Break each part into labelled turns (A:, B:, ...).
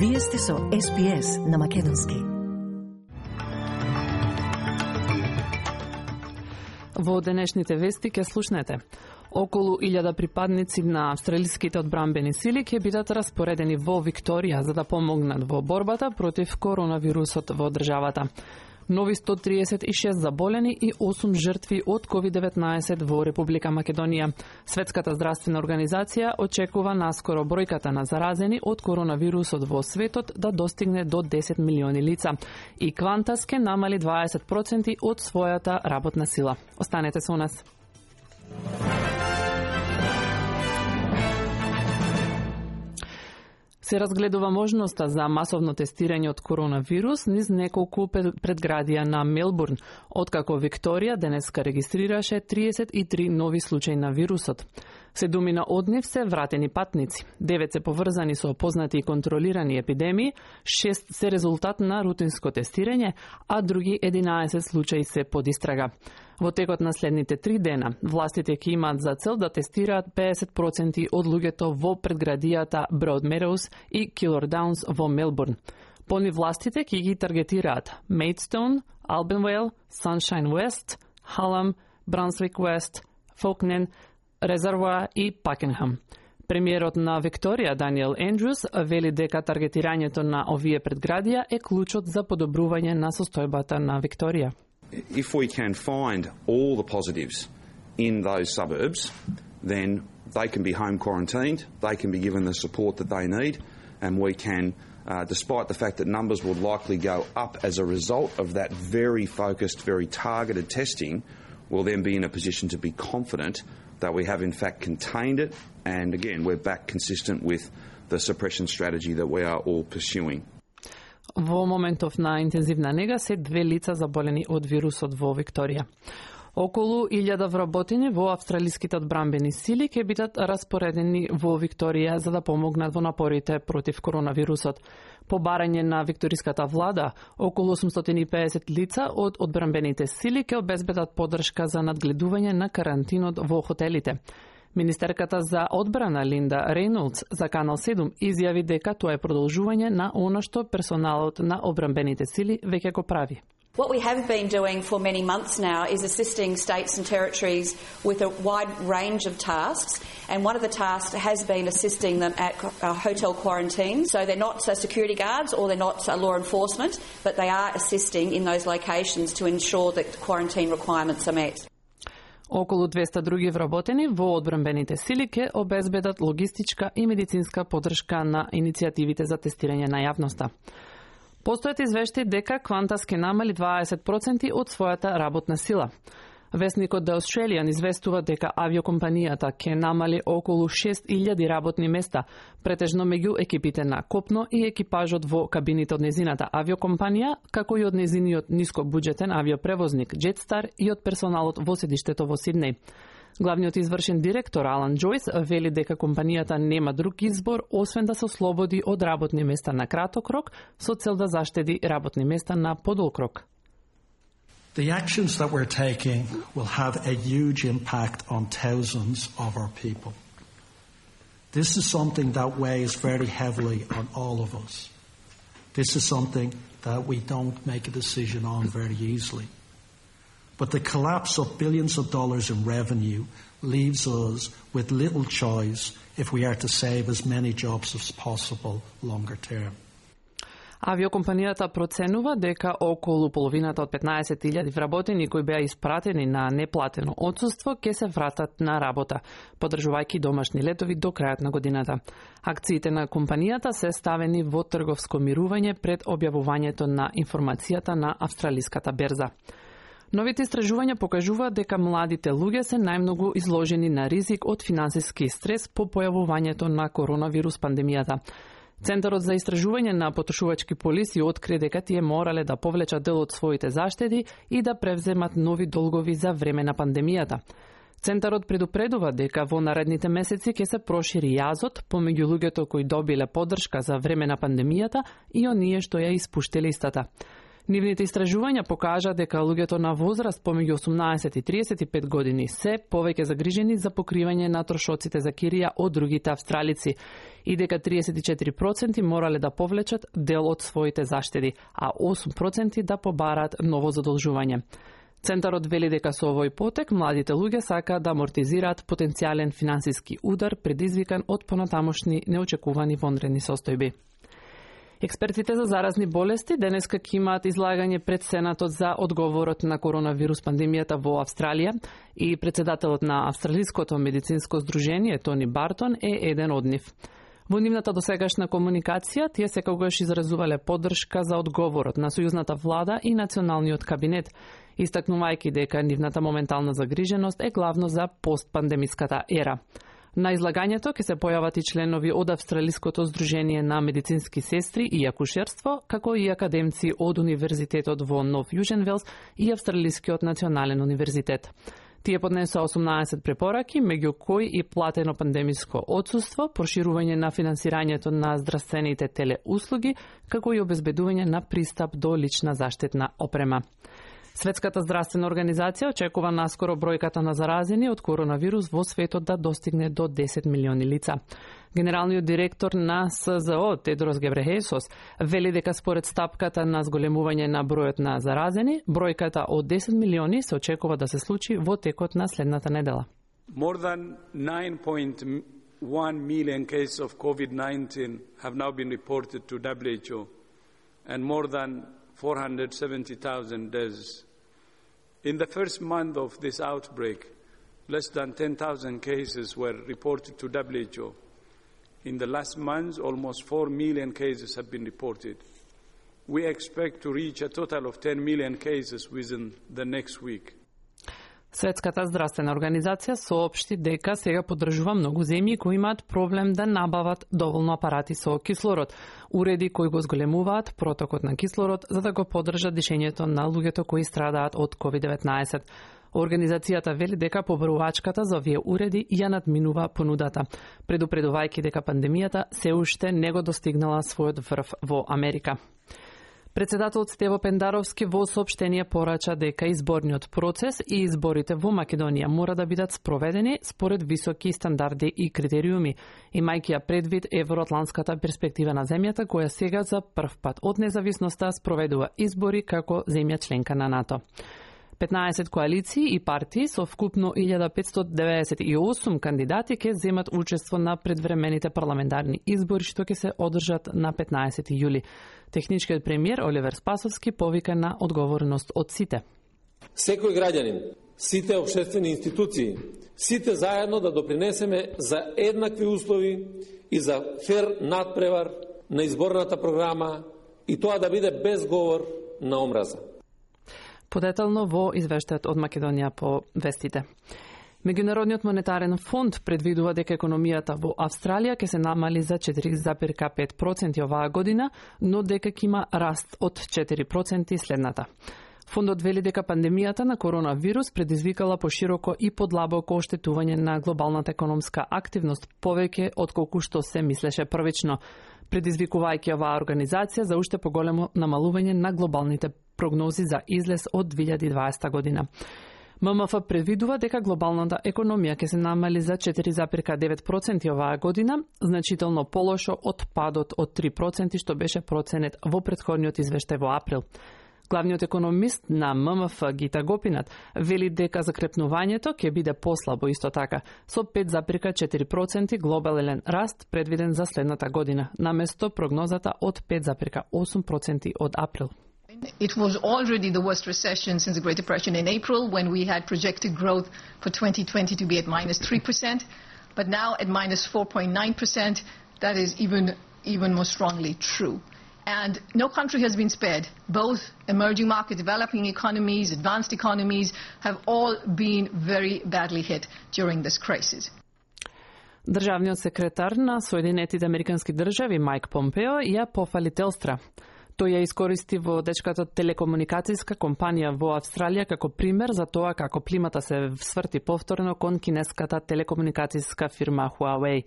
A: Вие сте со SPS на Македонски.
B: Во денешните вести ќе слушнете. Околу 1000 припадници на австралиските одбранбени сили ќе бидат распоредени во Викторија за да помогнат во борбата против коронавирусот во државата. Нови 136 заболени и 8 жртви од COVID-19 во Република Македонија. Светската здравствена организација очекува наскоро бројката на заразени од коронавирусот во светот да достигне до 10 милиони лица и Qantas ке намали 20% од својата работна сила. Останете со нас. Се разгледува можноста за масовно тестирање од коронавирус низ неколку предградија на Мелбурн, откако Викторија денеска регистрираше 33 нови случаи на вирусот. 7 од нив се вратени патници, 9 се поврзани со познати и контролирани епидемии, 6 се резултат на рутинско тестирање, а други 11 случаи се под истрага. Во текот на следните 3 дена, властите ќе имаат за цел да тестираат 50% од луѓето во предградијата Broadmeadows и Killarnowns во Мелбурн. По нив властите ќе ги таргетираат Maidstone, Albanvale, Sunshine West, Hallam, Brunswick West, Fawkner, Резервоар и Пакенхам. Премиерот на Викторија, Даниел Ендрюс, вели дека таргетирањето на овие предградија е клучот за подобрување на состојбата на Викторија.
C: If we can find all the positives in those suburbs, then they can be home quarantined, they can be given the support that they need, and we can, despite the fact that numbers would likely go up as a result of that very focused, very targeted testing, we'll then be in a position to be confident that we have in fact contained it, and again, we're back consistent with the suppression strategy that we are all pursuing.
B: Во моментов на интензивна нега се 2 лица заболени од вирусот во Викторија. Околу 1000 вработени во австралиските одбранбени сили ќе бидат распоредени во Викторија за да помогнат во напорите против коронавирусот. По барање на викториската влада, околу 850 лица од одбранбените сили ќе обезбедат поддршка за надгледување на карантинот во хотелите. Министерката за одбрана Линда Рейнолдс за Канал 7 изјави дека тоа е продолжување на она што персоналот на одбранбените сили веќе го прави.
D: What we have been doing for many months now is assisting states and territories with a wide range of tasks, and one of the tasks has been assisting them at hotel quarantine. So they're not security guards or they're not law enforcement, but they are assisting in those locations to ensure that quarantine requirements are met.
B: Околу 200 други вработени во одбранбените сили ќе обезбедат логистичка и медицинска поддршка на иницијативите за тестирање на јавноста. Постојат извештаи дека Qantas ке намали 20% од својата работна сила. Весникот The Australian известува дека авиокомпанијата ке намали околу 6000 работни места, претежно меѓу екипите на копно и екипажот во кабините од незината авиокомпанија, како и од незиниот нискобуџетен авиопревозник Jetstar и од персоналот во седиштето во Сиднеј. Главниот извршен директор Алан Джойс вели дека компанијата нема друг избор освен да се ослободи од работни места на краток рок со цел да заштеди работни места на подолг рок.
E: The actions that we're taking will have a huge impact on thousands of our people. This is something that weighs very heavily on all of us. This is something that we don't make a decision on very easily. But the collapse of billions of dollars in revenue leaves us with little choice if we are to save as many jobs as possible longer term.
B: Авиокомпанијата проценува дека околу половината од 15.000 вработени кои беа испратени на неплатено отсуство ќе се вратат на работа, поддржувајќи домашни летови до крајот на годината. Акциите на компанијата се ставени во трговско мирување пред објавувањето на информацијата на австралиската берза. Новите истражувања покажуваат дека младите луѓе се најмногу изложени на ризик од финансиски стрес по појавувањето на коронавирус пандемијата. Центарот за истражување на потрошувачки полиси откри дека тие морале да повлечат дел од своите заштеди и да превземат нови долгови за време на пандемијата. Центарот предупредува дека во наредните месеци ќе се прошири јазот помеѓу луѓето кои добиле поддршка за време на пандемијата и оние што ја испуштиле истата. Нивните истражувања покажа дека луѓето на возраст помеѓу 18 и 35 години се повеќе загрижени за покривање на трошоците за кирија од другите австралици и дека 34% морале да повлечат дел од своите заштеди, а 8% да побараат ново задолжување. Центарот вели дека со овој потек младите луѓе сакаат да амортизираат потенцијален финансиски удар предизвикан од понатамошни неочекувани вонредни состојби. Експертите за заразни болести денеска ќе имаат излагање пред Сенатот за одговорот на коронавирус пандемијата во Австралија и председателот на Австралиското медицинско здружение Тони Бартон е еден од нив. Во нивната досегашна комуникација тие секогаш изразувале поддршка за одговорот на сојузната влада и националниот кабинет, истакнувајќи дека нивната моментална загриженост е главно за постпандемиската ера. На излагањето ќе се појават и членови од Австралиското здружение на медицински сестри и акушерство, како и академци од Универзитетот во Нов Јужен Велс и Австралискиот национален универзитет. Тие поднесоа 18 препораки, меѓу кои и платено пандемиско отсуство, проширување на финансирањето на здравствените телеуслуги, како и обезбедување на пристап до лична заштитна опрема. Светската здравствена организација очекува наскоро бројката на заразени од коронавирус во светот да достигне до 10 милиони лица. Генералниот директор на СЗО Тедрос Гебрехесос вели дека според стапката на зголемување на бројот на заразени, бројката од 10 милиони се очекува да се случи во текот на следната недела.
F: More than 9.1 million cases of COVID-19 have now been reported to WHO and more than 470,000 deaths. In the first month of this outbreak, less than 10,000 cases were reported to WHO. In the last months, almost 4 million cases have been reported. We expect to reach a total of 10 million cases within the next week.
B: Светската здравствена организација соопшти дека сега поддржува многу земји кои имаат проблем да набават доволно апарати со кислород, уреди кои го зголемуваат протокот на кислород за да го поддржат дишењето на луѓето кои страдаат од COVID-19. Организацијата вели дека побарувачката за овие уреди ја надминува понудата, предупредувајќи дека пандемијата се уште не го достигнала својот врв во Америка. Председателот Стево Пендаровски во соопштение порача дека изборниот процес и изборите во Македонија мора да бидат спроведени според високи стандарди и критериуми, имајќи ја предвид евроатлантската перспектива на земјата која сега за прв пат од независноста спроведува избори како земја членка на НАТО. 15 коалиции и партии со вкупно 1598 кандидати ќе земат учество на предвремените парламентарни избори што ќе се одржат на 15 јули. Техничкиот премиер Оливер Спасовски повика на одговорност од сите.
G: Секој граѓанин, сите општествени институции, сите заедно да допринесеме за еднакви услови и за фер надпревар на изборната програма и тоа да биде без говор на омраза.
B: Подетално во извештајот од Македонија по вестите. Меѓународниот монетарен фонд предвидува дека економијата во Австралија ќе се намали за 4,5% оваа година, но дека ќе има раст од 4% следната. Фондот вели дека пандемијата на коронавирус предизвикала пошироко и подлабоко оштетување на глобалната економска активност повеќе отколку што се мислеше првично, предизвикувајќи оваа организација за уште поголемо намалување на глобалните прогнози за излез од 2020 година. ММФ предвидува дека глобалната економија ќе се намали за 4,9% оваа година, значително полошо од падот од 3% што беше проценет во претходниот извештај во април. Главниот економист на ММФ Гита Гопинат вели дека закрепнувањето ќе биде послабо исто така, со 5,4% глобален раст предвиден за следната година, наместо прогнозата од 5,8% од април.
H: It was already the worst recession since the Great Depression in April, when we had projected growth for 2020 to be at -3%, but now at -4.9%, that is even more strongly true. And no country has been spared. Both emerging market, developing economies, advanced economies have all been very badly hit during this crisis.
B: Државниот секретар на Соединетите Американски држави Майк Помпео ја пофали Телстра. Тој ја искористи водечката телекомуникацијска компанија во Австралија како пример за тоа како плимата се сврти повторно кон кинеската телекомуникацијска фирма Huawei.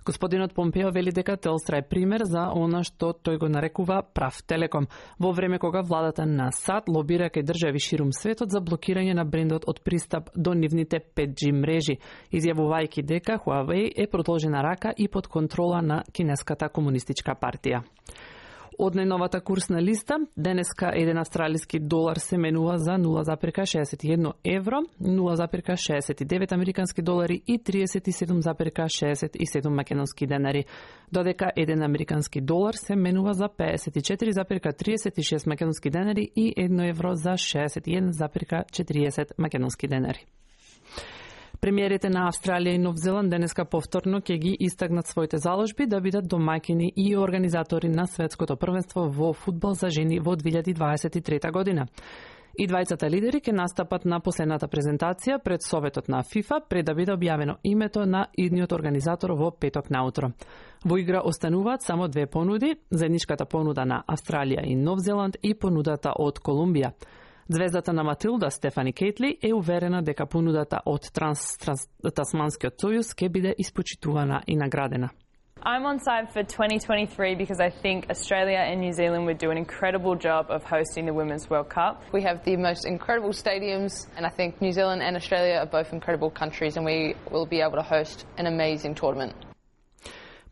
B: Господинот Помпео вели дека Телстра е пример за она што тој го нарекува прав телеком, во време кога владата на САД лобира кај држави ширум светот за блокирање на брендот од пристап до нивните 5G мрежи, изјавувајќи дека Huawei е продолжена рака и под контрола на кинеската комунистичка партија. Од најновата курсна листа, денеска еден австралиски долар се менува за 0,61 евро, 0,69 американски долари и 37,67 македонски денари, додека еден американски долар се менува за 54,36 македонски денари и 1 евро за 61,40 македонски денари. Премиерите на Австралија и Нов Зеланд денеска повторно ќе ги истакнат своите заложби да бидат домаќини и организатори на светското првенство во фудбал за жени во 2023 година. И двајцата лидери ќе настапат на последната презентација пред Советот на ФИФА пред да биде објавено името на идниот организатор во петок наутро. Во игра остануваат само две понуди, заедничката понуда на Австралија и Нов Зеланд и понудата од Колумбија. Звездата на Матилда, Стефани Кейтли, е уверена дека понудата од Тасманскиот сојуз ќе биде испочитувана и наградена.
I: I'm on side for 2023 because I think Australia and New Zealand would do an incredible job of hosting the Women's World Cup.
J: We have the most incredible stadiums, and I think New Zealand and Australia are both incredible countries, and we will be able to host an amazing tournament.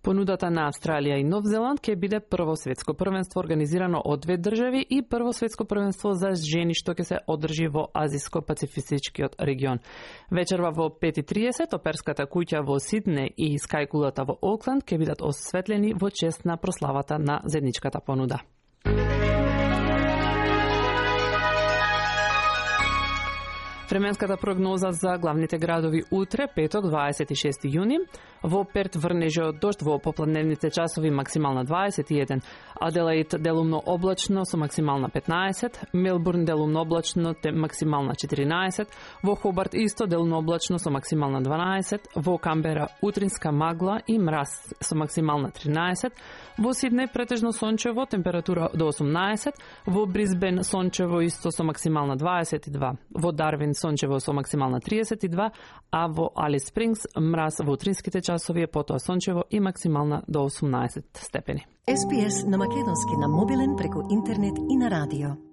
B: Понудата на Австралија и Нов Зеланд ќе биде прво светско првенство организирано од две држави и прво светско првенство за жени што ќе се одржи во Азиско-пацифичкиот регион. Вечерва во 5:30 оперската куќа во Сидне и скајкулата во Окленд ќе бидат осветлени во чест на прославата на заедничката понуда. Временската прогноза за главните градови утре, петок, 26 јуни. Во Перт врнежи од дожд во попладневните часови максимална 21, Аделаид делумно облачно со максимална 15, Мелбурн делумно облачно максимална 14, во Хобарт исто делумно облачно со максимална 12, во Камбера утринска магла и мраз со максимална 13, во Сиднеј претежно сончево, температура до 18, во Брисбен сончево исто со максимална 22, во Дарвин сончево со максимална 32, а во Алис Спрингс мраз во утринските часови е потоа сончево и максимална до 18 степени.
A: SPS на македонски на мобилен преку интернет и на радио.